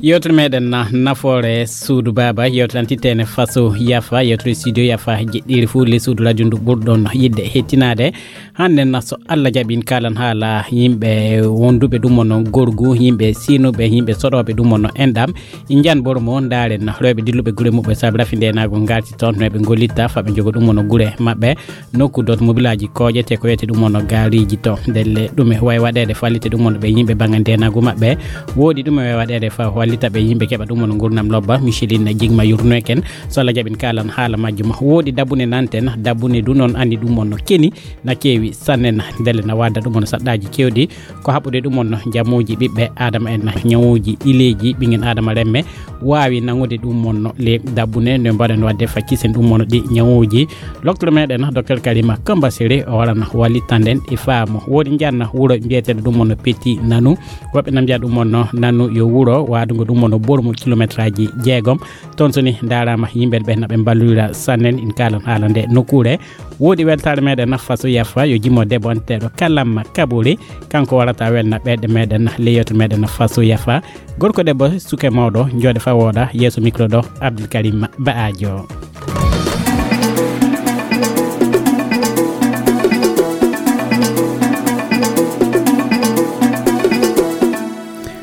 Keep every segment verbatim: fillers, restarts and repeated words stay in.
Yewtere meɗen na nafoore suudu baaba, yewtere an tittene faso yafa, yewtere studio yafa jeɗɗiri fuu le suudu radio ndu ɓurɗon yiɗde hettinaade. Hannde na so Allah jaɓi en kaalan haala yimɓe wonduɓe ɗum wonno gorgu, yimɓe sinuɓe, yimɓe soɗooɓe ɗum wonno enɗam. En njan boro mo ndaaren rewɓe dilluɓe gure muɓɓe saabi rafi ndenaagu ngarti toon no ɓe ngollitta fa ɓe njogo ɗum wonno gure maɓɓe. Nokku dot mobilaaji kooƴete ko wiyete ɗum wonno gaariiji to. Ndelle ɗume wawi waɗeede fallite ɗum wonno ɓe yimɓe bannge ndenaagu maɓɓe. Woodi ɗume wawi waɗeede fa wallita ɓe yimɓe keɓa ɗum wonno ngurnam lobba. Micheline Jigma yurnoyken so Allah jaɓin kaalan haala majjum. Woodi dabbune nanten, dabbune du noon anndi ɗum wonno keni na keewi sanne na. Ndelle na wadda ɗum wonno saɗɗaaji keewɗi. Ko haɓɓude ɗum wonno jamuuji ɓiɓɓe Aadama en, ñawuuji ɗileeji ɓingen Aadama remme waawi nangude ɗum wonno le dabbune nde mbaɗen waɗde faccisen ɗum wonno ɗi ñawuuji. Loktoro meɗen Docteur Karima Kamba Sere o warana wallitanden e faamu. Woodi njanna wuro mbiyeteɗo ɗum wonno Petit Nanu. Woɓɓe na mbiya ɗum wonno Nanu yo wuro waadungo ɗum wonno bormo kilometraaji jeegom. Toon so ni ndaaraama yimɓe ɓe na ɓe mballira sannen in kaalan haala nde nokkuure. Woodi weltaare meɗen na faso yafa yo jimmo debbo anteɗo Kalamma Kabori. Kanko warata welna ɓeɗe meɗen na le yewtere meɗen na faso yafa. Gorko debbo suke mawɗo jooɗe fa wooɗa yeeso micro ɗo Abdul Karim Ba'ajo.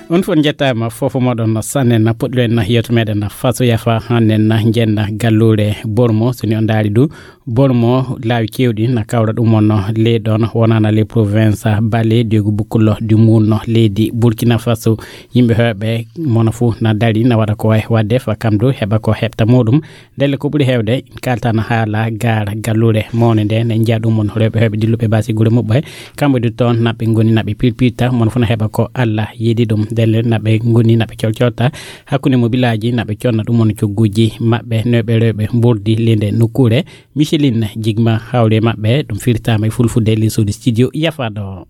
On fof njettaama fof moɗon sanne na poɗɗiɗo en na yewto meɗen na faso yafa hannen na njenna gallure bormo so ni on ndaari du. Bormo laawi keewɗi na kawra ɗum wonno ley ɗon wonana les province bale diego bukkullo du munno leydi Burkina Faso. Yimɓe heewɓe mono fof na dari na waɗa ko wayi waɗde fa kam du heɓa ko heɓta muɗum. Ndelle ko ɓuri heewde in kaltana haala gaar gallure mawne nde ne njiya ɗum won rewɓe heewɓe dilluɓe basi gure muɓɓe. Kamɓe du toon naɓɓe ngoni naɓɓe pirpirta mono fof na heɓa ko Allah yiɗi ɗum. Ndelle naɓɓe ngoni naɓɓe colcolta hakkunde mo bilaji naɓɓe conna ɗum won cogguji maɓɓe newɓe rewɓe mburdi linde nokkure. Micheline Jigma hawre maɓɓe ɗum firtama e fulfulde lessude studio yafaɗo.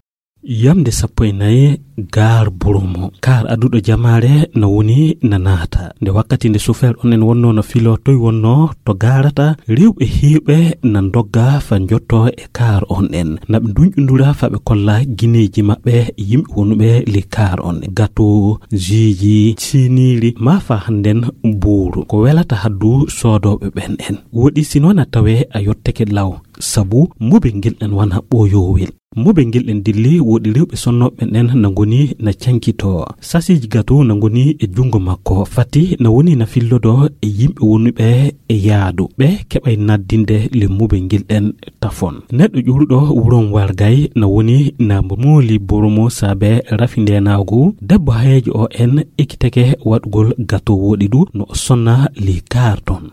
Yamde sappo e nayi gaar Burumo. Kaar aduɗo jamaare na woni na naata. Nde wakkati nde sofeer on en wonno no filo toy wonno to gaarata, rewɓe heewɓe na ndogga fa njotto e kaar on en. Na ɓe nduñƴundura fa ɓe kolla gineeji maɓɓe yimɓe wonuɓe li kaar on. Gato, ziiji, siniri, ma fa hannden buuru. Ko welata haddu soodooɓe ɓen en. Woɗi sino na tawe a yotteke law. Sabu mobel ngel en wana ɓooyowel. Mobel ngel en dilli woɗi rewɓe sonnooɓe ɓen en na ngoni na cankito. Sasiiji gato na ngoni e junngo makko. Fati na woni na fillodo e yimɓe wonuɓe e yaadu. Ɓe keɓay naddinde le mobel ngel en tafon. Neɗɗo ƴuuruɗo wuron wargay na woni na mooli boromo saabe rafi ndenaagu. Debbo hayeejo o en ekkiteke waɗugol gato woɗi du no o sonna li kaar ton.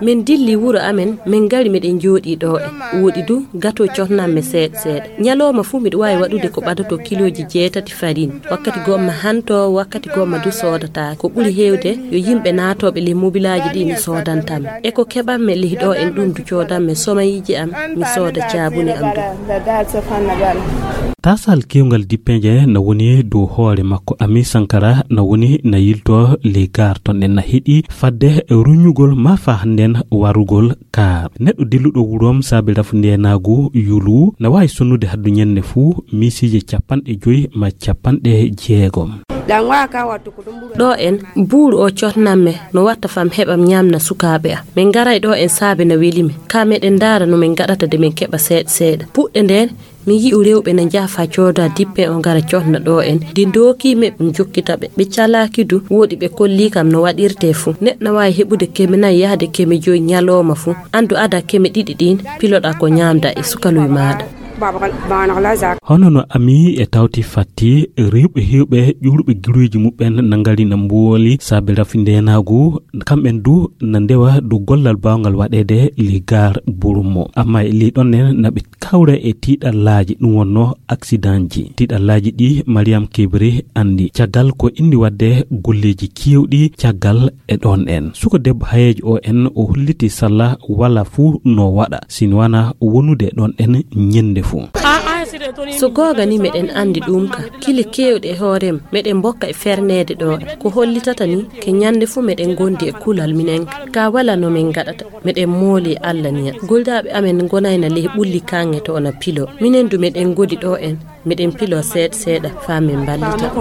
Min dilli wuro amen, min ngari miɗen jooɗii ɗo e. Woɗi du, gato cotnan mi seeɗa seeɗa. Ñalooma fuu miɗo waawi waɗude ko ɓadato kilooji jeetati farine. Wakkati gomma hanto, wakkati gomma du soodata. Ko ɓuri heewde, yo yimɓe naatooɓe le mobilaaji ɗi mi soodantam. E ko keɓanmi le ɗo en ɗum du coodanmi somayiiji am, mi sooda caabune am du. Tasal kewngal dippeje na woni dow hoore makko. Ami Sankara na woni na yilto le gar ton en na heɗi fadde ruñugol ma fa hannden warugol kaar. Neɗɗo dilluɗo wurom saabi rafu ndenaagu yulu na waawi sonnude haddu ñande fuu miisiije capanɗe joyi ma capanɗe jeegom. Ɗo en, buuru o cotnan me, no watta fam heɓam ñamna sukaaɓe am. Min ngaray ɗo en saabe na weli mi. Ka meɗen ndaara no min ngaɗata de min keɓa seeɗa seeɗa. Puɗɗe nden, mi yi'u rewɓe na njaha fa cooda dippe o ngara cotna ɗo en. De ndooki me ɗum jokkita ɓe. Ɓe calaaki du, woɗi ɓe kolli kam no waɗirte fu. Neɗɗo na waawi heɓude keme nayi yahde keme joyi ñalooma fu. Andu ada keme ɗiɗi ɗin, piloɗa ko ñamda e sukaluy maaɗa. Hono no ami e tawti fatti, rewɓe heewɓe ƴuurɓe giroyji muɓɓen na ngari na mbooli saabe rafi ndenaagu, kamɓen du na ndewa du gollal baawngal waɗeede li gar Burumo. Amma e li ɗon nen na ɓe kawra e tiiɗallaaji, ɗum wonno accidentji. Tiiɗallaaji ɗi Mariam Kebri anndi. Caggal ko indi waɗde golleeji keewɗi caggal e ɗon en. Suko debbo hayeejo o en o holliti salla wala fuu no waɗa, sin wana wonude ɗon en ñande fuu. So googa ni meɗen anndi ɗum ka. Kile keewɗe e hoorem meɗen mbokka e ferneede ɗo. Ko hollitata ni ke ñande fuu meɗen ngondi e kulal minen ka. Ka wala no min ngaɗata. Meɗen mooli Allah niya. Goldaaɓe amen ngonayna ley ɓulli kaŋŋe to na pilo. Minen du meɗen ngodi ɗo en. Miɗen pilo seeɗa seeɗa faa min mballita.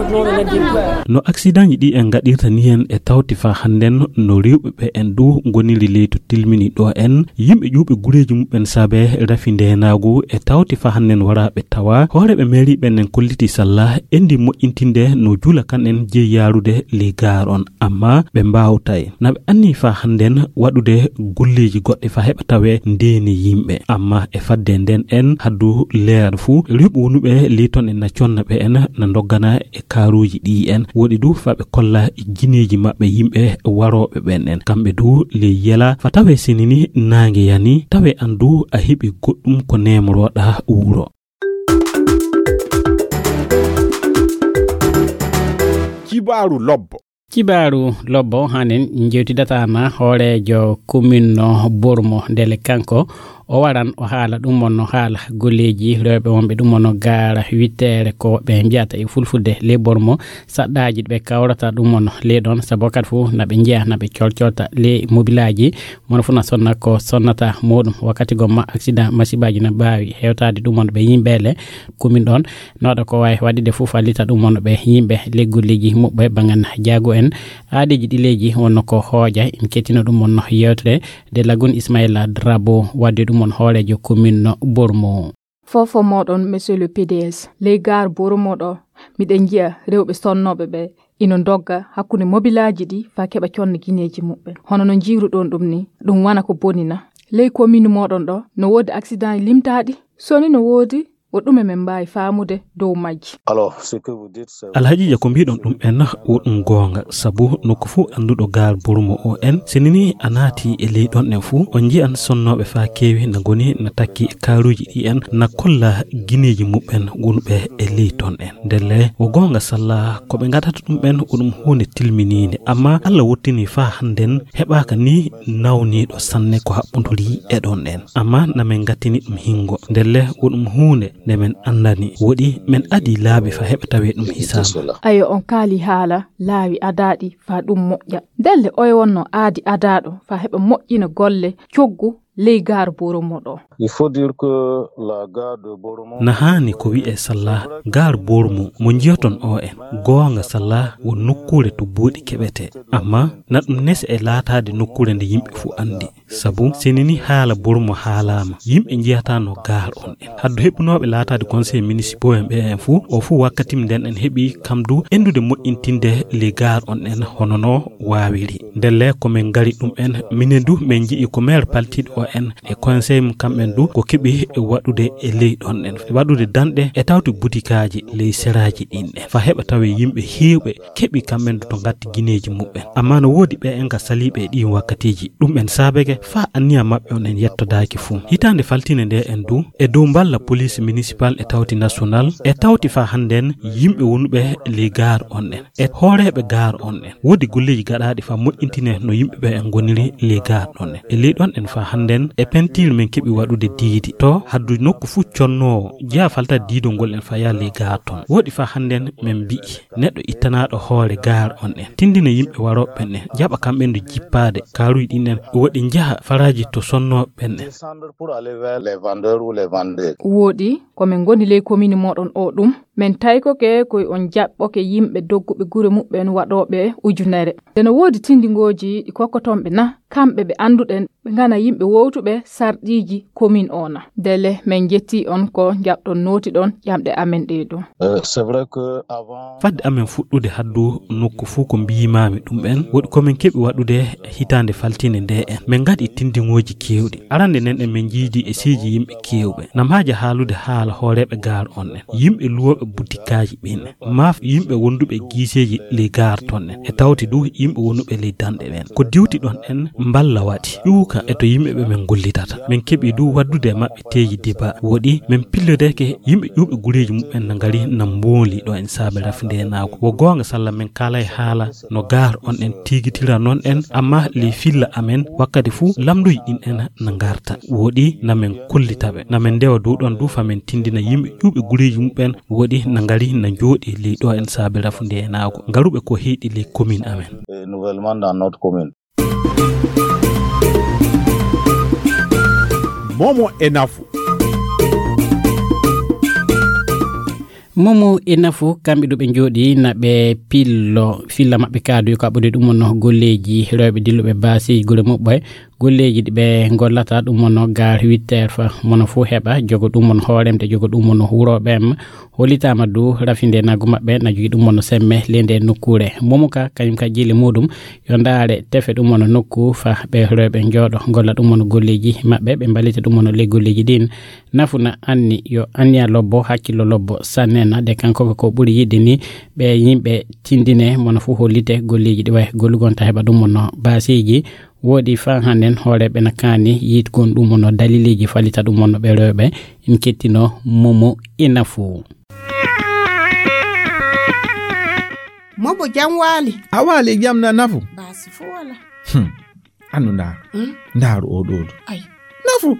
No aksidaŋji ɗi en ngaɗirta ni en e tawti faa hannden no rewɓe ɓe en du ngoniri ley to tilmini ɗo en. Yimɓe ƴuuɓe gureeji muɓɓen saabe rafi ndeenaagu e tawti faa hannden wara ɓe tawa. Hooreeɓe meeri ɓen en kolliti salla endi moƴƴintinde no juula kan en jeyi yaarude ley gaar on. Amma ɓe mbaawtay. Na ɓe anni faa hannden waɗude golleeji goɗɗi faa heɓa tawee ndeeni yimɓe. Amma e fadde nden en haddu leer fuu, rewɓe wonuɓe ley ton en na conna ɓe en na ndoggana e kaaruuji ɗi en. Woɗi du faa ɓe kolla gineeji maɓɓe yimɓe warooɓe ɓen en. Kamɓe du ley yela faa tawee sinini naange yani, tawee an du a heɓi goɗɗum ko neemorooɗaa wuro. Kibaaru lobbo. Kibaaru lobbo hanen jewtidata na hooreejo commune no Bormo ndele kanko o waran o haala ɗum on no haala golleeji rewɓe wonɓe ɗum on no gaara witteere ko ɓe mbiyata e fulfulde ley Bormo saɗɗaaji ɓe kawrata ɗum on ley ɗon sabu wakkati fof na ɓe njeya na ɓe colcolta ley mobilaaji mono fof na sonna ko sonnata muɗum wakkati gomma accident masibaaji na mbaawi hewtaade ɗum on ɓe yimɓe le commune ɗon no waɗa ko waawi waɗude fof fallita ɗum on ɓe yimɓe ley golleeji muɓɓe bangan jaago en aadeeji ɗileeji wonno ko hooƴa en kettino ɗum on yewtere de lagun Ismaila Drabo wadde ɗum on hooreejo commune Bormo. Fofo moɗon monsieur le P D S ley gaar Bormo ɗo miɗen njiya rewɓe sonnooɓe ɓe ino ndogga hakkunde mobilaaji ɗi faa keɓa conna gineeji muɓɓen hono no njiiruɗon ɗum ni ɗum wana ko bonina ley commune moɗon ɗo no woodi accident limtaaɗi soni no woodi o ɗume men mbaawi faamude dow majji. Alhaji Dia ko mbiɗon ɗum en wo ɗum goonga sabu nokku fof annduɗo gaar Bormo o en sinini a naati e ley ɗon en fof on njiyan sonnooɓe faa keewi na ngoni na takki e kaaruuji ɗi en na kolla gineeji muɓɓen wonɓe e ley ton en ndelle wo goonga salla ko ɓe ngaɗata ɗum en wo ɗum huunde tilminiinde amma Allah wottini faa hannden heɓaaka ni nawniiɗo sanne ko haɓɓonduri e ɗon en amma na men ngattini ɗum hingo ndelle wo ɗum huunde nde men anndani woɗi men adii laabi faa heɓa tawee ɗum hisaama. Ayo on kaali haala laawi adaaɗi faa ɗum moƴƴa ndelle oye wonno aadi adaaɗo faa heɓa moƴƴina golle coggu ley gaar Boromo ɗo. Na haani ko wi'ee salla gaar Boromo mo njiyoton oo en goonga salla wo nokkuure to buuɗi keɓetee amma na ɗum nese e laataade nokkuure nde yimɓe fuu anndi. Sabu sinini haala Boromo haalaama yimɓe njiyataano gaar on en haddu heɓunooɓe laataade conseil municipaux en ɓe en fuu o fuu wakkati nden en heɓi kam du endude moƴƴintinde ley gaar on en hono no waawiri. Ndelle ko men ngari ɗum en minen du men nji'i ko maire paltiiɗo o en e conseil mum kamɓen du ko keɓi waɗude e ley ɗon en waɗude danɗe e tawti butikaaji ley seraaji ɗin en faa heɓa tawee yimɓe heewɓe keɓi kamɓen du to ngatti gineeji muɓɓen amma no woodi ɓe en ka saliiɓe e ɗiin wakkatiiji ɗum en saabeke faa anniya maɓɓe on en yettodaaki fuu hitaande faltine nde en du e dow mballa police municipal e tawti national e tawti faa hannden yimɓe wonuɓe ley gaar on en e hooreeɓe gaar on en woodi golleeji gaɗaaɗi faa moƴƴintinee no yimɓe ɓe en ngoniri ley gaar ɗon en e ley ɗon en faa hannden e pentiir men keɓi waɗude diidi to haddu nokku fuu connoowo jeya falta diidol ngol en faa yaha ley gaar ton woɗi faa hannden men mbi'i neɗɗo ittanaaɗo hoore gaar on en tinndina yimɓe warooɓe ɓen en jaɓa kamɓen du jippaade kaaruuji ɗin en woɗi njaha faraaji to sonnooɓe ɓen en. Woɗi ko men ngoni ley komini mooɗon oo ɗum men taykoke koy on jaɓɓoke yimɓe dogguɓe gure muɓɓen waɗooɓe ujunere nde no woodi tindingooji ɗi kokkotonɓe na kamɓe ɓe annduɗen ɓe ngana yimɓe wowtuɓe sarɗiiji komin oo na ndelle men njettii on ko njaɓɗon nootiɗon ƴamɗe amen ɗee ɗum. Fadde amen fuɗɗude haddu nokku fuu ko mbiyimaami ɗum en woɗi ko min keɓi waɗude hitaande faltiinde ndee en min ngaɗi tinndingooji keewɗi arannde nden en min njiidi e seeji yimɓe keewɓe nam haaja haalude haala hooreeɓe gaar on en yimɓe luwooɓe butikaaji ɓin en maaf yimɓe wonduɓe e giiseeji ley gaar ton en e tawti du yimɓe wonuɓe ley danɗe ɓen ko diwti ɗon en mballa waɗi ƴuuka e to yimɓe ɓe min gollitata min keɓi du waddude e maɓɓe teeji diba woɗi min pillodeke yimɓe ƴuuɓe gureeji muɓɓen na ngari na mbooli ɗo en saabe rafi ndeenaagu wo goonga salla min kaalay haala no gaar on en tiigitira non en amma ley filla amen wakkati fuu lamnduji ɗin en na ngarta woɗi na min kollitaɓe na min ndewa dow ɗon du fa min tindina yimɓe ƴuuɓe gureeji muɓɓen woɗi na ngari na njooɗi ley ɗo en saabe rafu ndeenaagu ngaruɓe ko heyɗi ley komin amen. Momo e nafu. Momo e nafu, kamɓe ɗo ɓe njooɗi na ɓe pillo, filla maɓɓe kaadu ko aɓɓude ɗum wonno golleeji rewɓe dilluɓe baasi gure muɓɓe, golleeji ɗi ɓe ngollata ɗum wonno gar huit heures fa mono fof heɓa jogo ɗum won hooremde, jogo ɗum wonno huurooɓe em. Hollitaama du rafinde nagu maɓɓe na jogi ɗum wonno semme ley nde nokkuure. Momo ka kañum ka jili muɗum yo ndaare tefe ɗum wonno nokku fa ɓe rewɓe njooɗo ngolla ɗum wonno golleeji maɓɓe, ɓe mballita ɗum wonno ley golleeji ɗin. Nafu na anni yo anniya lobbo, hakkillo lobbo sannena de kanko ko ɓuri yiɗde ni ɓe yimɓe tindine mono fof hollite golleeji ɗi wayi gollugonta heɓa ɗum wonno baasiiji. Woodi fa hannden hooreeɓe na kaani yiɗgon ɗum wonno dalileeji fallita ɗum wonno ɓe rewɓe. En kettino Momo e nafu. Momo jam waali. A waali e jam na nafu? Baasi fof wala. Hmm. Annu ndaar. Hmm? Ndaaru o ɗo ɗo. Ay. Nafu.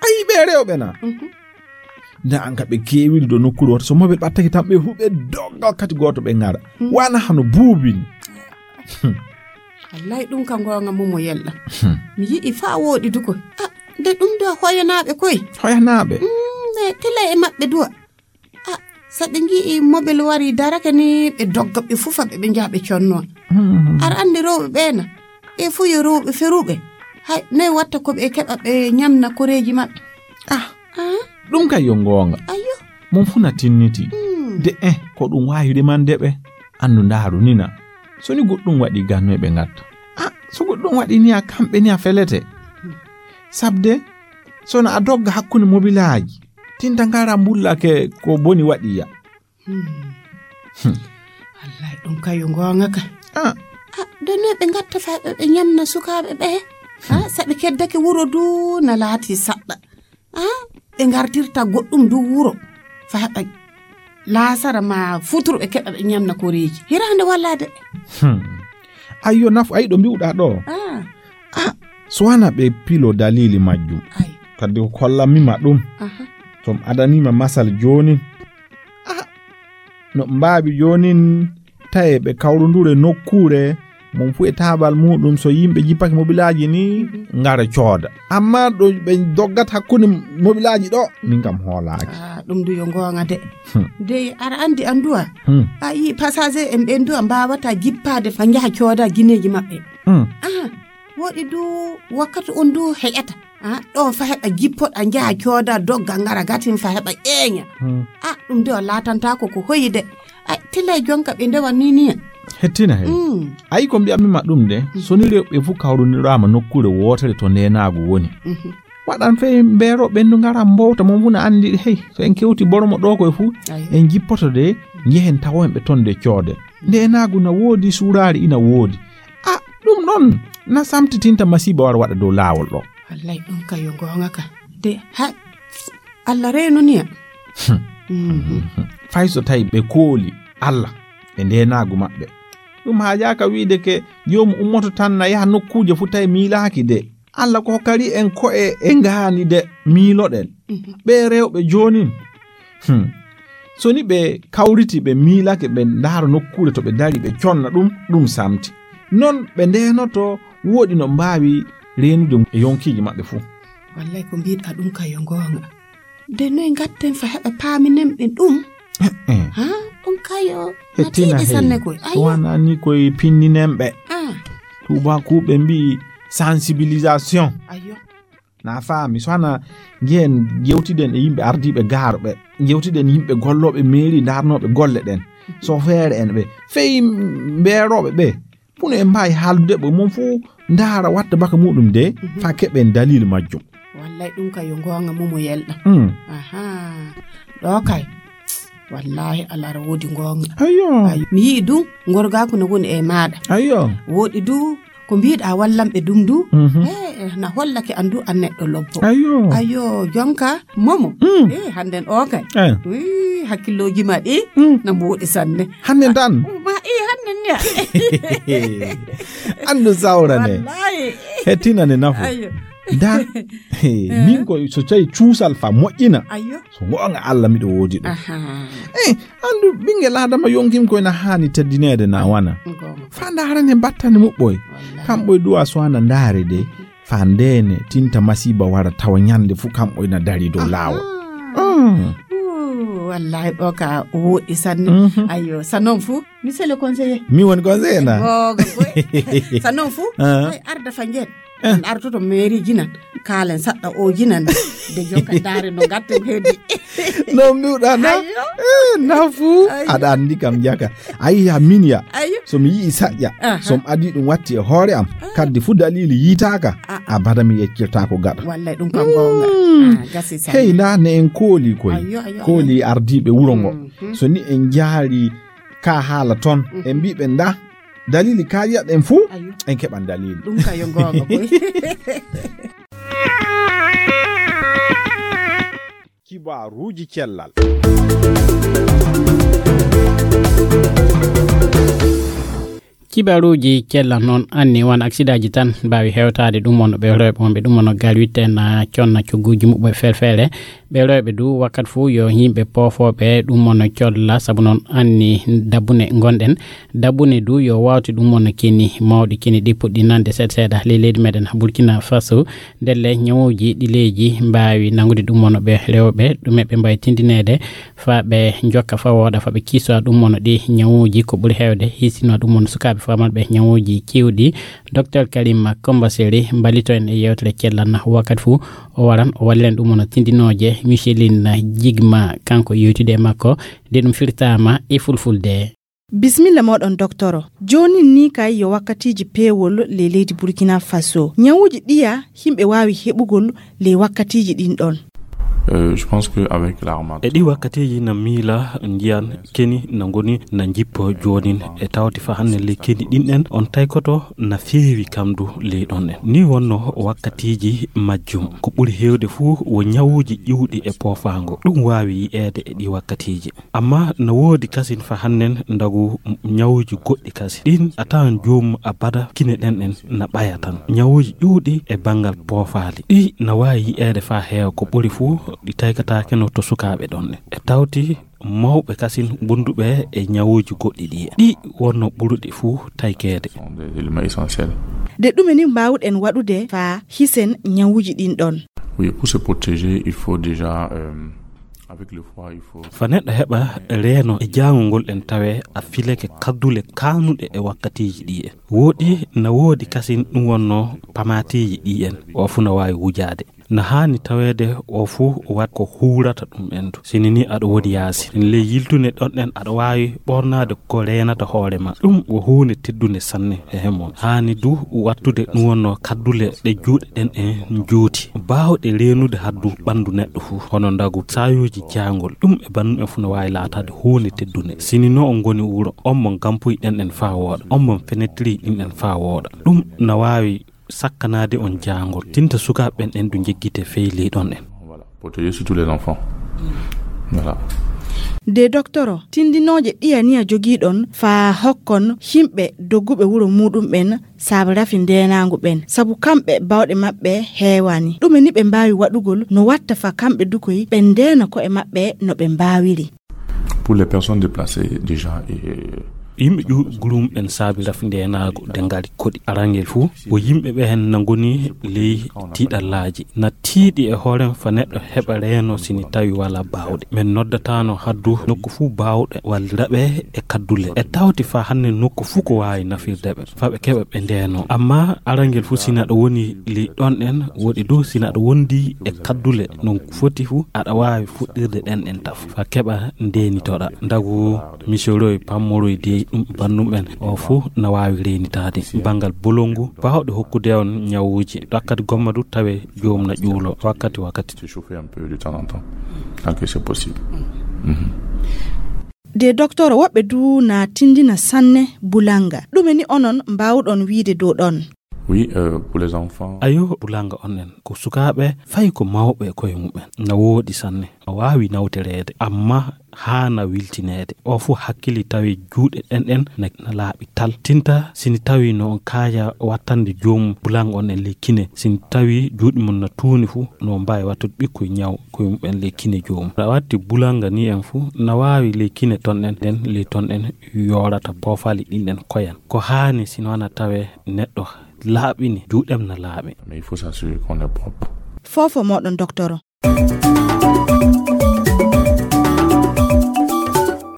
Ayi ɓe rewɓe na. Mhm. Nda an ka ɓe keewiri do nokkuure woto. So mobel ɓattake tan ɓe huɓe doggal kati gooto ɓe ngara. Hmm. Wana hano buubini. Hmm. Wallahi ɗum ka goonga Momo yelɗa. Hmm. Mi yi'i fa wooɗi duko. Ah, nde ɗum do hoyanaaɓe koy. Hoyanaaɓe? Mm, nde tila e maɓɓe duwa. Ah, so ɓe ngi'i mobel wari darake ni ɓe dogga ɓe fufa ɓe ɓe njaha ɓe conno. Hmm. Ar andi rewɓe ɓe na. Ɓe fu yo rewɓe feruɓe. Hay, noy watta ko ɓe keɓa ɓe ñamna koreeji maɓɓe. Ah, Ah, ɗum kay yo goonga. Ayyo. Mon fu na tinniti. Hmm. De, eh, ko ɗum waawi rimande ɓe. Anndu ndaaru ni na. So ni goɗɗum waɗi ganno e ɓe ngatta. Ah, so goɗɗum waɗi ni a kamɓe ni a felete. Sabde, so na a dogga hakkunde mobilaaji. Tinta ngara mbullake ko boni waɗi ya. Hmm. Hmm. Wallahi ɗum kay yo goonga ka. Ah. Ah, de ne ɓe ngatta fa ɓe, ɓe ñamna sukaaɓe ɓe. Ah, hmm. Sa ɓe keddake wuro du na laati saɗɗa. Ah, ɓe ngartirta goɗɗum du wuro. Fa heɓa laasara ma futurɓe keɓa ɓe ñamna koreeji. Hiraande walla de. Hmm. Ayyo nafu, ay ɗo mbi'uɗaa ɗo. Ah. Ah, so wana ɓe pilo dalili majjum. Ay. Kadi ko kollammi ma ɗum. Aha. To mi adanii ma masal jooni. Ah, no mbaawi joonin taye ɓe kawrundure nokkuure, mon fu e taabal muɗum, so yimɓe jippake mobilaaji ni, mhm, ngara cooda. Amma ɗo ɓe doggat hakkunde mobilaaji ɗo, min kam hoolaaki. Ah, ɗum du yo goonga de. Hmm. De, aɗa anndi an duwa? Hmm. A yii passager en ɓen duwa mbaawata jippaade fa njaha cooda gineeji maɓɓe. Hmm. Ah, woɗi du wakkati on du heƴata. Ah, ɗo fa heɓa jippoɗa njaha cooda dogga ngara gatin fa heɓa ƴeeña. Hmm. Ah, ɗum de o laatantaako ko hoyi de. Ay, tila e jonka ɓe ndewa ni ni. Hettina he. Mm. Ayi ko mbiyammi ma ɗum de, mm, so ni rewɓe fu kawruniraama nokkuure wootere to ndeenaagu woni. Mhm. Waɗan fey mbeero ɓendu ngara mbowta mon fu na anndi hey, so en kewti boromo ɗo koye fu, ayo, en jippoto de, njehen tawoen ɓe ton de coode. Ndeenaagu na woodi, suuraari ina woodi. Ah, ɗum ɗon na samtitinta masiiba wara waɗa dow laawol ɗo. Wallay ɗum ka yo goonga ka. De, ha, Allah reenuniya. Hmm. Mhm. Fay so tawi ɓe kooli Allah e ndeenaagu maɓɓe. Ɗum haajaaka wiide ke joomu ummoto tan na yaha nokkuuje fu tawi miilaaki de. Allah ko hokkari en ko'e e ngaani de miiloɗen. Mhm. Ɓe rewɓe joonin. Hmm. So ni ɓe kawriti, ɓe miilake, ɓe ndaara nokkuure to ɓe dari, ɓe conna ɗum, ɗum samti. Non ɓe ndeenoto, woɗi no mbaawi reenude e yonkiiji maɓɓe fuu. Wallay ko mbiɗa ɗum ka yo goonga. De noy ngatten fa heɓa paaminen ɓe ɗum? Eh, eh. Ha? Ɗum kayo na hettina tiiɗi hey. Sanne koy. Ayo. Wana ni koye pinninen ɓe. Ah. Tuubakuuɓe mbi'i sensibilisation. Ayo. Na faami, so hana njehen jewtiden e yimɓe ardiiɓe gaarɓe, jewtiden yimɓe gollooɓe meeri, ndaarnooɓe golle ɗen, so feere en ɓe, fey mbeerooɓe ɓe, puno en mbaawi haaldude ɓe, mon fuu ndaara watta baka muɗum de, mhm, fa keɓen dalil majjum. Wallay ɗum ka yo goonga mumo yelɗa. Mm. Aha. Ɗo kay. Wallahi, Allah ara woodi goonga. Ayyo. Ayyo. Mi yi'i du, ngorgaaku no woni e maaɗa. Ayyo. Woɗi du, ko mbiɗa wallanɓe dum du. Mhm. Eh, na hollake an du an neɗɗo lobbo. Ayyo. Ayyo, jonka, momo. Mm. Eh, hannden o kay. Eh. Ui, hakkillooji ma ɗi, mm, na mboɗi sanne. Hannden tan? Ma, eh, hannden ya. Anndu sawrane. Wallahi. Hettina ne nafu. Ayyo. Da, he, eh, min ko so tawi cuusal fa moƴƴina. Ayyo. So goonga Allah miɗo woodi ɗum. Aha. Eh, anndu ɓinngel Adama yonkim koy na haani teddineede na wana. Goonga. Fa ndaarane battane muɓɓoy. Wallahi. Kamɓoy duwa so ana ndaare de. Fa ndeene tinta masiiba wara tawa ñande fu kamɓoy na dari dow laawol. Aha. Mm. Ooh. Wallahi, ɗo ka woɗɗi sanne. Mhm. Ayyo, sa non fu, monsieur le conseiller. Mi woni conseiller na? Gogo, goy. Sa non fu, Ah. Ay, arda fa ngen. Eh. An artoto mairie ji nan. Kaalen saɗɗa o ji nan. De jonka dare no gatten heddi. No mbiwɗa na? Ayyo. Eh, na fu. Ayyo. Aɗa andi kam jaka. Ayi, ya min ya. Ayyo. So mi yi'i saƴƴa, Aha. so mi adi ɗum watti e hoore am, Ah. kaddi fu dalili yiitaaka, Ah, ah. abada mi yeccirtaako gaɗa. Wallay ɗum kam goonga. Hmm. Ah, gasi sa. Hey, nda ne en kooli koy. Ayyo, ayyo, Kooli ayyo. ardiiɓe wuro ngo. Mhm. So ni en jaari ka haala ton, Mhm. en mbiɓe nda dalili ka yi'aɗen fu, Ayyo. en keɓan dalili. Ɗum ka yo goonga koy. Kibaruuji cellal. Kibaruuji cellal noon anni won aksidaaji tan mbaawi hewtaade ɗum wonno ɓe rewɓe wonɓe ɗum wonno gaal witten na conna cogguuji muɓɓe ferfeere. Ɓe rewɓe du wakkat fof yo yimɓe poofooɓe ɗum wonno colla sabu noon anni dabbune ngonɗen. Dabbune du yo wawte ɗum wonno keni mawɗi keni ɗi puɗɗi nande seeɗa seeɗa ley leydi meɗen Burkina Faso. Ndelle ñawuuji ɗi leydi mbaawi nanngude ɗum wonno ɓe rewɓe ɗume ɓe mbaawi tindineede faa ɓe njokka faa wooɗa faa ɓe kiisowa ɗum wonno ɗi ñawuuji ko ɓuri heewde hiisinowa ɗum wonno sukaaɓe faamanɓe ñawuuji keewɗi. Docteur Karim Kombaseri mballito en e yeewtere cellal na wakkati fuu o waran o walliren ɗum wonno tindinooje Micheline Jigma kanko yewtide e makko nde ɗum firtaama e fulfulde. Bisimilla mooɗon doktoro. Joonin ni kay yo wakkatiiji peewol ley leydi Burkina Faso. Ñawuuji ɗiya yimɓe waawi heɓugol ley wakkatiiji ɗin ɗon. Euh, je pense que avec la harmattan- E ɗi wakkatiiji na miila njiyan keni na ngoni na njippo joonin e tawti fa hannde ley keni ɗin ɗen on taykoto na feewi kamdu ley ɗon ɗen. Ni wonno wakkatiiji majjum ko ɓuri heewde fuu wo ñawuuji ƴiwɗi e poofaango. Ɗum waawi yi'eede e ɗi wakkatiiji. Amma na woodi kasin fa hannen ndagu ñawuuji goɗɗi kasi. Ɗin a tawan joomum abada kine ɗen ɗen na ɓaya tan. Ñawuuji ƴuuɗi e banngal poofaali. Ɗi na waawi yi'eede fa heewa ko ɓuri fuu ɗi taykataake no to sukaaɓe ɗon ɗen. E tawti mawɓe kasin gonduɓe e ñawuuji goɗɗi ɗi. Ɗi wonno ɓuruɗi fuu taykeede. Sont des éléments essentiels. De ɗume ni mbaawɗen waɗude fa hisen ñawuuji ɗin ɗon? Oui, pour se protéger, il faut déjà, euh, avec le froid, il faut Fa neɗɗo heɓa reeno e jaangol ngol ɗen tawe a fileke kaddule kaanuɗe e wakkatiiji ɗi en. Woɗi na woodi kasin ɗum wonno pamaatiiji ɗi en. O fuu na waawi wujaade. Na haani taweede o fuu wat ko huurata ɗum endu. Sini ni aɗa woodi yaasi. Ley yiltune ɗon ɗen aɗa waawi ɓornaade ko reenata hoore ma. Ɗum wo huunde teddunde sanne e hemon. Haani du wattude ɗum wonno kaddule ɗe juuɗe ɗen e njooti. Baawɗe reenude haddu ɓanndu neɗɗo fuu. Hono ndagu saayuuji jaangol. Ɗum e banndu en fuu no waawi laataade huunde teddunde. Sini no on ngoni wuro, on mon gampuy ɗen ɗen faa wooɗa. On mon fenetiri ɗin ɗen faa wooɗa. Ɗum na waawi sakkanaade on jaangol. Tinta sukaaɓe ɓen ɗen du njeggite fey ley ɗon en. Voilà. Protéger surtout les enfants. Voilà. De doktoro, tindinooje ɗiya niya jogiiɗon faa hokkon himɓe dogguɓe wuro muuɗum ɓen saabe rafi ndeenaangu ɓen, sabu kamɓe bawɗe maɓɓe heewani. Ɗume ni ɓe mbaawi waɗugol no watta faa kamɓe du koy ɓe ndeena ko'e maɓɓe no ɓe mbaawiri? Pour les personnes déplacées, déjà, et Yimɓe ƴuuɗi gulum ɓen saabi rafi ndeenaagu de ngari koɗi. Arangel fuu, wo yimɓe ɓe hen na ngoni ley tiiɗallaaji. Na tiiɗi e hoorem fa neɗɗo heɓa reeno sini tawi walaa baawɗe. Men noddataano haddu nokku fuu baawɗe wallira ɓe e kaddule. E tawti faa hannde nokku fuu ko waawi nafirde ɓe, faa ɓe keɓa ɓe ndeeno. Amma arangel fuu sina ɗo woni ley ɗon ɗen, woɗi du sina ɗo wondi e kaddule non foti fuu, aɗa waawi fuɗɗirde ɗen ɗen taf. Faa keɓa ndeenitoɗa. Ndagu misoroy, pammoroy de ɗum bannum ɓen. O fuu na waawi reenitaade. Banngal bolongu, baawɗe hokkude on ñawuuji. Ɗakkati gomma du tawe joom na ƴuulo wakkati wakkati. Se chauffer un peu de temps en temps, tant que c'est possible. Mhm. De doktoro, woɓɓe du na tindina sanne bulanga. Ɗume ni onon mbaawɗon wiide dow ɗon? Oui, euh, pour les enfants. Ayo, bulanga on en. Ko sukaaɓe, fay ko mawɓe e koye mumen. Na woodi sanne. A waawi nawtoreede, amma haana wiltineede. O fuu hakkili tawi juuɗe ɗen ɗen na, na laaɓi tal. Tinta, sini tawi no on kaaja wattande joomum bulanga on en ley kine. Sini tawi juuɗe mum na tuuni fuu, no mbaawi wattude ɓikkoy ñaw koye mumen ley kine joomum. A watti bulanga ni en fuu, na waawi ley kine ton ɗen, ɗen ley ton ɗen yoorata poofaali ɗin ɗen koyan. Ko haani sino wana tawe neɗɗo laaɓini, juuɗem na laaɓi. Mais il faut s'assurer qu'on est propre. Fofo moɗon, doktoro.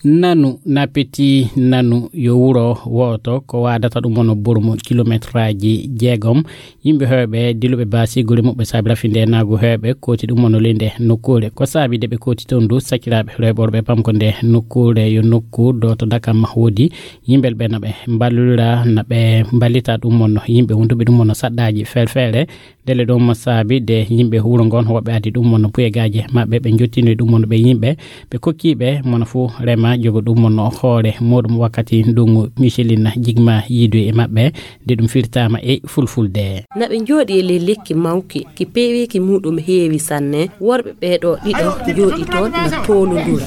Nanu, Napeti Nanu yo wuro wooto ko waadata ɗum wonno boromon kilometraaji jeegom. Yimɓe heewɓe diluɓe baasi gure muɓɓe saabi rafi nde naagu heewɓe kooti ɗum wonno ley nde nokkuure. Ko saabi de ɓe kooti toon du sakiraaɓe rewɓe worɓe pamko nde nokkuure yo nokku dooto dakam woodi yimɓe ɓe na ɓe mballira na ɓe mballita ɗum wonno yimɓe wonduɓe ɗum wonno saɗɗaaji ferfere. Ndelle ɗum saabi de yimɓe wuro ngon woɓɓe addi ɗum wonno puyegaaji maɓɓe ɓe jottini ɗum wonno ɓe yimɓe ɓe kokkiiɓe mono fuu rema jogo ɗum wonno hoore muɗum wakkati ndungu Michelin jigma yiidu e maɓɓe nde ɗum firtaama e fulfulde. Na ɓe njooɗi e ley lekki mawki ki peeweeki muɗum heewi sanne. Worɓe ɓeeɗo ɗiɗo njooɗi toon na toolondura.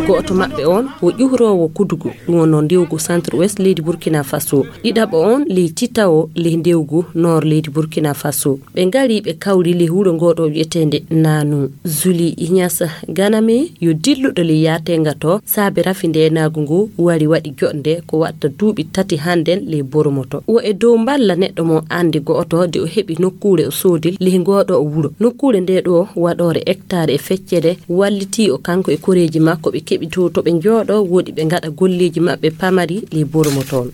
Gooto maɓɓe on o ƴuhroowo kudugu ɗum wonno ndewgu centre ouest leydi Burkina Faso. Ɗiɗaɓo on ley titawo ley ndewgu noor leydi Burkina Faso. Ɓe ngari ɓe kawri ley wuro ngoɗo wi'eteende Nanu. Zuli Inyasa Ganame yo dilluɗo ley yaatenga to saabe rafi ndeenaagu ngu wari waɗi joɗnde ko watta duuɓi tati hannden ley Boromoto. Wo e dow mballa neɗɗo mo anndi go'oto de o heɓi nokkuure o soodi ley ngoɗo o wuro. Nokkuure nde ɗo waɗoore hectare e feccere wallitii o kanko e koreeji makko ɓe keɓi to to ɓe njooɗo woɗi ɓe ngaɗa golleeji maɓɓe pamari ley Boromoto on.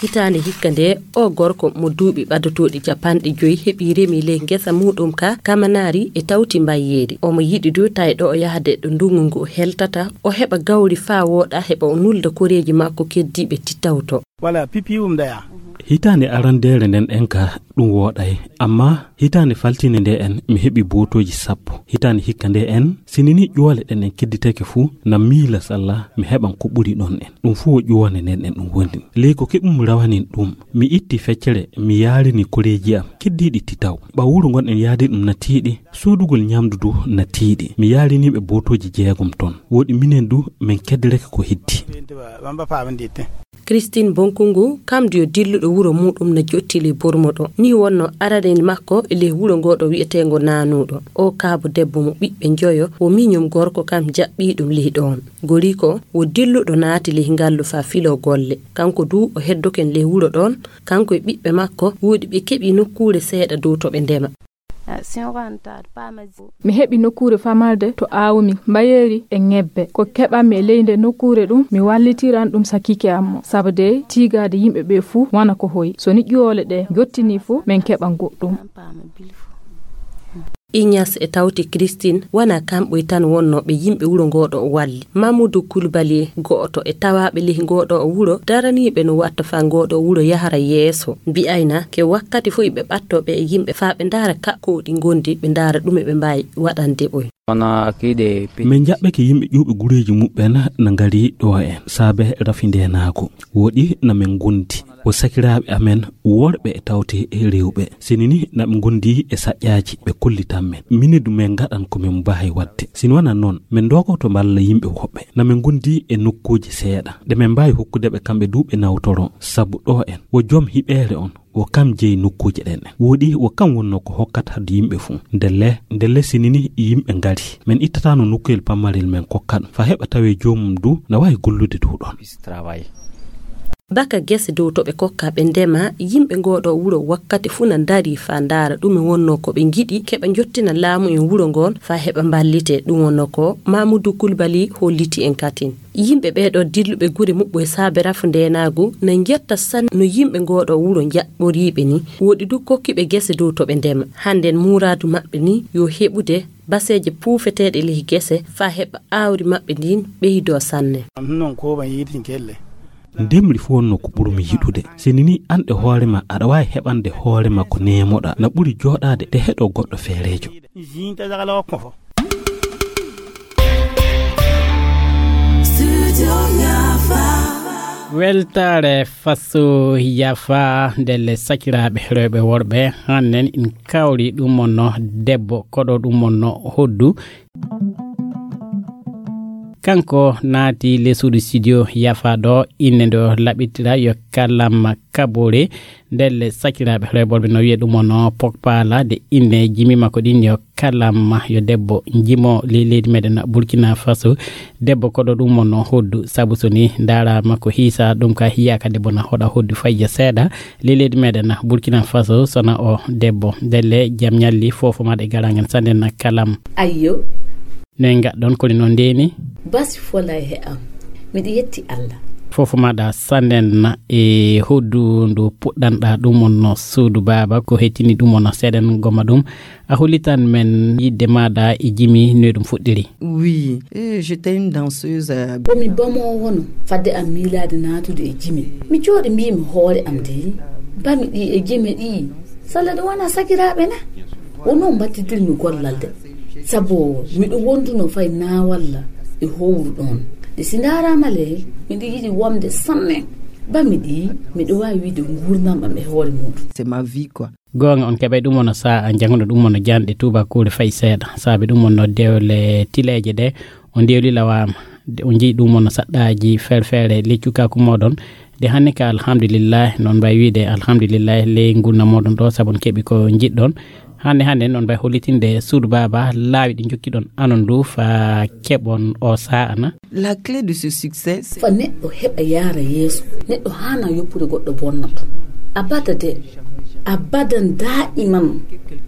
Hitaande hikka nde o gorko mo duuɓi ɓadotooɗi capanɗe joyi heɓi remi ley ngesa muɗum ka kamanaari e tawti mbayyeeri. Omo yiɗi du tawi ɗo o yahde ɗo ndungu ngu heltata o heɓa gawri faa wooɗa heɓa o nulda koreeji makko keddiiɓe tittawto. Wala pipi um daya. Hitaande arandeere nden en ka ɗum wooɗay amma hitaande faltinde nde en mi heɓi bootooji sappo. Hitaande hikka nde en sinini ƴoole ɗen en kedditake fuu na miila salla mi heɓan ko ɓuri ɗon en. Ɗum fuu o ƴoone nden en ɗum woni ley ko keɓum rawanin ɗum. Mi itti feccere mi yaarini koreeji am keddiiɗi titaw ɓaw wuro ngon en yaadi ɗum na tiiɗi. Soodugol ñamdu du na tiiɗi mi yaarini ɓe bootooji jeegom ton. Woɗi minen du min keddirake ko hiddi. Christine Bonkungu kam du yo dilluɗo wuro muɗum na jottili Bormoɗo ni wonno aranel makko e ley wuro ngoɗo wi'eteengo Nanuɗo. O kaabo debbo mo ɓiɓɓe njoyo wo miñum gorko kam jaɓɓii ɗum ley ɗoon. Goriko wo dilluɗo naati ley ngallu faa filoo golle. Kanko du o heddoken ley wuro ɗoon kanko e ɓiɓɓe makko woɗi ɓe keɓi nokkuure seeɗa dow to ɓe ndema. Mi heɓi nokkuure famalde to aawumi mbayeeri e ŋebbe. Ko keɓanmi e ley nde nokkuure ɗum mi wallitiran ɗum sakiike am mo. Sabu dey tiigaade yimɓe ɓee fuu wona ko hoyi. So ni ƴoole ɗee njottinii fuu min keɓan goɗɗum. Ignace e tawti Christine wona kamɓoy tan wonnooɓe yimɓe wuro ngooɗo o walli. Mamoudou Koulibaly go'oto e tawaaɓe ley ngooɗo o wuro daraniiɓe no watta faa ngooɗo o wuro yahra yeeso. Mbi'ayna ke wakkati fof iɓe ɓattoo ɓe e yimɓe faa ɓe ndaara kakkooɗi ngondi ɓe ndaara ɗume ɓe mbaawi waɗande ɓoy. Min njaɓɓeke yimɓe ƴuwɓe gureeji muɓɓen na ngari ɗo en saabe rafi ndeenaagu. Woɗi na min ngondi. Wo sakiraaɓe amen worɓe e tawte e rewɓe. Sini ni na ɓe ngondi e saƴƴaaji ɓe kollitan men. Mine du min ngaɗan ko min mbaawi waɗde. Sini wona noon min ndogoto mballa yimɓe woɓɓe. Na min ngondi e nokkuuji seeɗa. Ɗe min mbaawi hokkude ɓe kamɓe du ɓe nawtoro. Sabu ɗo en wo joom hiɓeere on. Wo kam jeyi nokkuuje ɗen. Woɗi wo kam wonnoo ko hokkata hadde yimɓe fuu. Ndelle, ndelle sinini yimɓe ngari. Min ittataano nokkuyel pammarel min kokkan. Fa heɓa tawee joomum du na waawi gollude dow ɗon. Baka gese dow to ɓe kokka ɓe ndema yimɓe ngooɗo wuro wakkati fuu na ndarii fa ndaara ɗume wonnoo ko ɓe ngiɗi keɓa njottina laamu en wuro ngoon fa heɓa mballite ɗum wonnoo ko Mamudu Kulbali holliti en katin. Yimɓe ɓeeɗo dilluɓe gure muɓɓo e saabe rafu ndeenaagu na njetta sanne no yimɓe ngooɗo wuro njaɓɓoriiɓe ni. Woɗi du kokkiɓe gese dow to ɓe ndema. Hannden muuraadu maɓɓe ni yo heɓude baseeje puufeteeɗe ley gese faa heɓa aawri maɓɓe ndin ɓeydoo sanne. Ndemri fof wonno ko ɓurmi yiɗude. Sini ni an e hoore ma aɗa waawi heɓande hoore ma ko neemoɗa na ɓuri jooɗaade te heɗo goɗɗo feereejo. Weltaare faso yafa ndelle sakiraaɓe rewɓe worɓe hannen in kawri ɗum wonno debbo koɗo ɗum wonno hoddu. Kanko naati le suudu studio yafa ɗo, innde nde o laɓitira yo Kalam Kabore. Ndelle sakiraaɓe reeɓorɓe no wiya ɗum ono Pogpala, de innde jimi makko ɗin yo Kalam, yo debbo jimo ley leydi meɗen Burkina Faso. Debbo koɗo ɗum ono hoddu, sabu so ni ndaaraama ko hiisa ɗum ka hiyaaka debbo na hoɗa hoddu fayya seeɗa. Ley leydi meɗen Burkina Faso sona o debbo. Ndelle jam ñalli fofo maɗa e garangen sanden Kalam. Ayyo. Ne gaɗɗon koni noon ndeni? Basi fola e am. Miɗo yetti Allah. Fofo maɗa sanden e hoddu ndu puɗɗanɗa ɗum on no suudu baaba ko hettini ɗum on no seeɗen goma ɗum. A hollitan men yidde maɗa e jimi no ɗum fuɗɗiri? Oui, eh, j'étais une danseuse. Komi bamo wono fadde am miilaade naatude e jimi. Mi jooɗi mbimi hoore am de, bami ɗi e jime ɗi. Salla ɗum wona sakiraaɓe na? Wonno mbattidirmi gollal de. Sabu miɗo wonduno fay naawalla e howru ɗon. De si ndaaraama le, miɗo yiɗi womde sanne. Bami ɗi, miɗo waawi wiide nguurndam am e hoore muɗum. C'est ma vie quoi. Goonga on keɓay ɗum ono saa a janguno ɗum ono janɗe tubakuure fay seeɗa. Saabi ɗum ono dewle tileeje ɗe o ndewli lawaama. De o njii ɗum ono saɗɗaaji ferfere leccu kaku moɗon. De hannde ka alhamdulillahi, noon mbay wiide alhamdulillahi ley ngurna moɗon ɗo, sabu on keɓi ko njiɗɗon. Hannde hannde noon mbay hollitinde suudu baaba laawi ɗi njokkiɗon anon ndu fa keɓon o saa ana. La clé de ce succès, c'est fa neɗɗo heɓa yaara yeeso, neɗɗo haana yoppude goɗɗo bonnato. Abada de, abadan daiman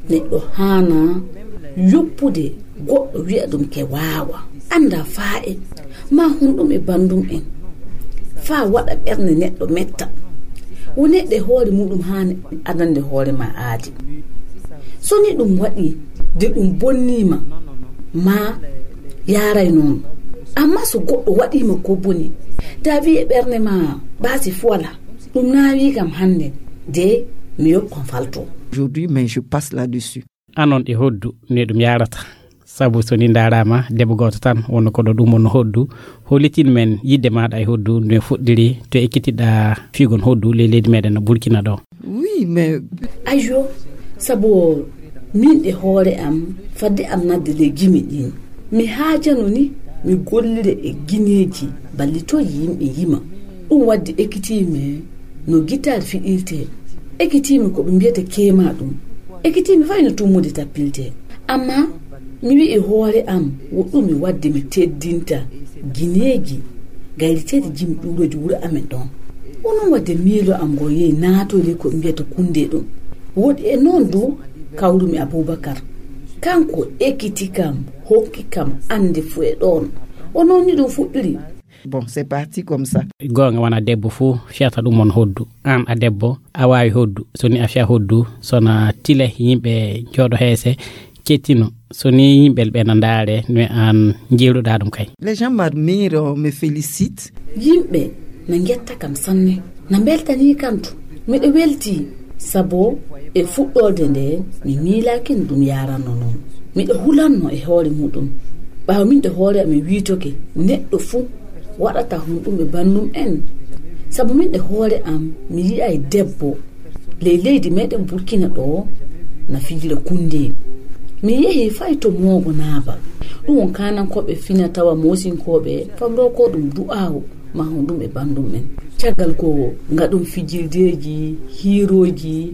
neɗɗo haana yoppude goɗɗo wi'a ɗum ke waawa. Annda faa e ma honɗum e banndum en. Faa waɗa ɓernde neɗɗo metta. Wo neɗɗo e hoore muɗum haani adande hoore ma aadi. So ni ɗum waɗi de ɗum bonnii ma, ma yaaray noon. Amma so goɗɗo waɗii ma ko boni, da wi'e ɓernde ma baasi fuwala. Ɗum naawii kam hannde, de mi yoppan falto. Aujourd'hui, mais je passe là-dessus. Anon e hoddu ne ɗum yaarata. Sabu so ni ndaaraama debbo gooto tan wonno ko ɗo ɗum wonno hoddu. Hollitin men yidde maaɗa e hoddu no fuɗɗiri to ekkitiɗa fiigon hoddu ley leydi meɗen no Burkina ɗo. Oui, mais ayyo, sabu min e hoore am fadde am nadde ley jimi ɗin. Mi haajano ni mi gollira e gineeji ballitoy yimɓe yima. Ɗum waddi ekkitiimi no gitaar fiɗirtee. Ekkitiimi ko ɓe mbiyata keema ɗum. Ekkitiimi fay no tummude tappiltee. Amma mi wi'i hoore am wo ɗum mi wadde mi teddinta gineeji gayriteeɗi jimi ɗuurooji wuro amen ɗon. Wo noon wadde miilo am ngo yehi naatoyde ko ɓe mbiyata kunde ɗum. Woɗi e noon du kawrumi Abubakar. Kanko ekkiti kam, hokki kam annde fuu e ɗoon. O noon ni ɗum fuɗɗiri. Bon, c'est parti comme ça. Goonga wona debbo fuu fiyata ɗum on hoddu. Aan a debbo, a waawi hoddu. So ni a fiya hoddu, so na tile yimɓe jooɗo heese, cettino. So ni yimɓe ɓe na ndaare, no aan njeeruɗaa ɗum kay. Les gens m'admirent, me félicitent. Yimɓe na ngetta kam sanne, na mbeltanii kam to. Miɗo weltii, sabu e fuɗɗoode nde, mi miilaaki no ɗum yaaranno noon. Miɗo hulanno e hoore muɗum. Ɓaawo min ɗo hoore am mi wiitoke, neɗɗo fuu waɗata honɗum e banndum en. Sabu min ɗo hoore am, mi yi'ay debbo ley leydi meɗen Burkina ɗo na fijira kunde. Mi yehi fay to moogo naabal. Ɗum on kaanankooɓe fina tawa moosinkooɓe, famroo ko ɗum du'aawo. Ma honɗum e banndum en. Caggal ko ngaɗon fijirdeeji, hiirooji,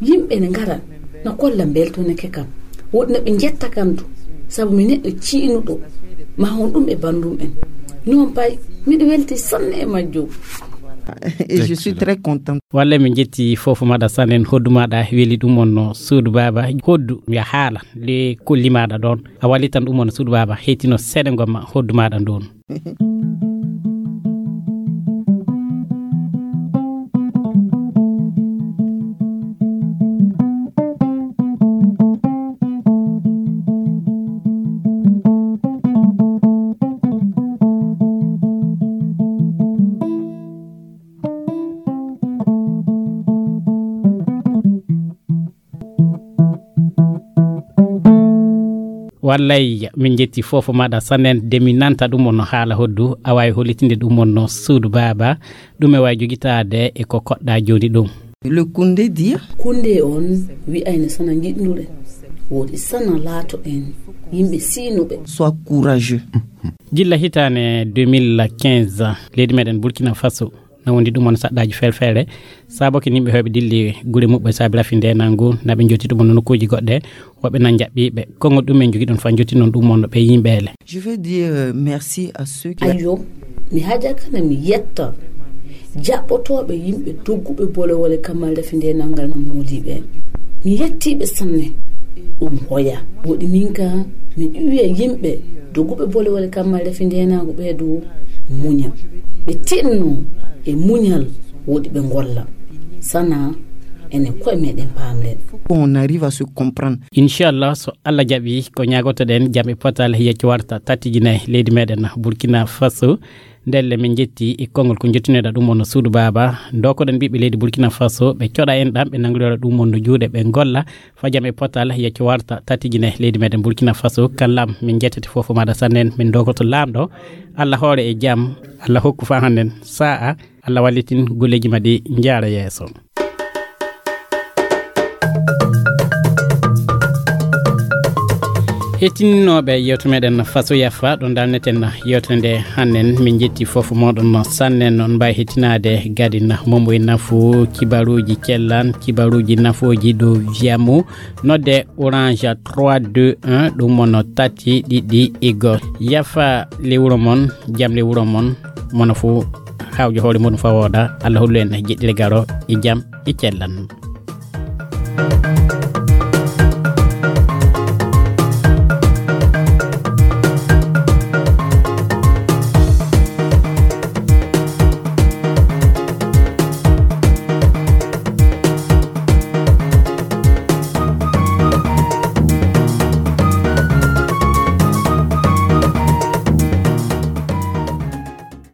yimɓe ne ngara na kolla mbeltonake kam. Woɗi na ɓe njetta kam du, sabu mi neɗɗo ciinuɗo. Ma honɗum e banndum en. Noon pay, miɗo welti sanne e majjum. Et je suis très content. Walla min njetti fof maɗa sanen hoddu maɗa weli ɗum on no suudu baaba hoddu ya haala le kolli maɗa ɗon. A wallitan ɗum on suudu baaba hettino seeɗa gomma hoddu maɗa ɗon. Wallay min njetti fof maɗa sanen de min nanta ɗum on no haala hoddu a wawi hollitinde ɗum on no suudu baaba. Ɗum e wawi jogitade e ko koɗɗa joni ɗum. Le kunde dia kunde on wi'ayno sona jiɗnuɗen. Woodi sana laato en yimɓe siinuɓe. Soit courageux. Gilla hitaane deux mille quinze, leydi meɗen Burkina Faso na wondi ɗum on saɗɗaaji feere-feere. Saabo ko yimɓe heewɓe dilli gure muɓɓe saabi rafi ndenangu, na ɓe jotti ɗum on nokkuuji goɗɗe, woɓɓe na jaɓɓiiɓe. Konngol ɗum en jogi ɗum fa jotti noon ɗum on ɓe yimɓeele. Je veux dire, euh, merci à ceux qui Ayo, mi haja kana mi yetta jaɓɓotooɓe yimɓe dogguɓe bolewole kammal rafi ndenangal no moodiɓe. Mi yettiiɓe sanne. Ɗum hoya. Woɗi min ka mi ƴuwiya yimɓe dogguɓe bolewole kammal rafi ndenangu ɓe du muña. Ɓe tinno e muñal woɗi ɓe ngolla. Sana enen koye meɗen paamren. On arrive à se comprendre. Inchallah, so Allah jaɓi, ko ñaagotoɗen jam e potal yecco warta tatijine leydi meɗen Burkina Faso. Ndelle min jetti e konngol ko jottinoɗa ɗum on no suudu baaba. Ndokoɗen ɓiɓɓe leydi Burkina Faso, ɓe coɗa en ɗam, ɓe nangoɗora ɗum on no juuɗe, ɓe ngolla fa jam e potal yecco warta tatijine leydi meɗen Burkina Faso. Kan lam min jettete fof maɗa sannen, min ndokoto laamɗo. Allah hoore e jam, Allah hokku fa hannden sa'a, Allah wallitin golleeji ma ɗi njaara yeeso. Hettinooɓe yewte meɗen Faso Yafa, ɗo dalneten yewtere nde hannen. Min jetti fof moɗon sannen. On mbaawi hettinaade gadin Momo e Nafu, kibaruuji cellan, kibaruuji nafooji dow Viamo, nodde Orange trois deux un, ɗum mono tati ɗiɗi igo. Yafa le wuro mon, jam le wuro mon, mono fo hawjo hoore muɗum fa wooɗa. Allah hollu en jeɗɗire garo e jam e cellan.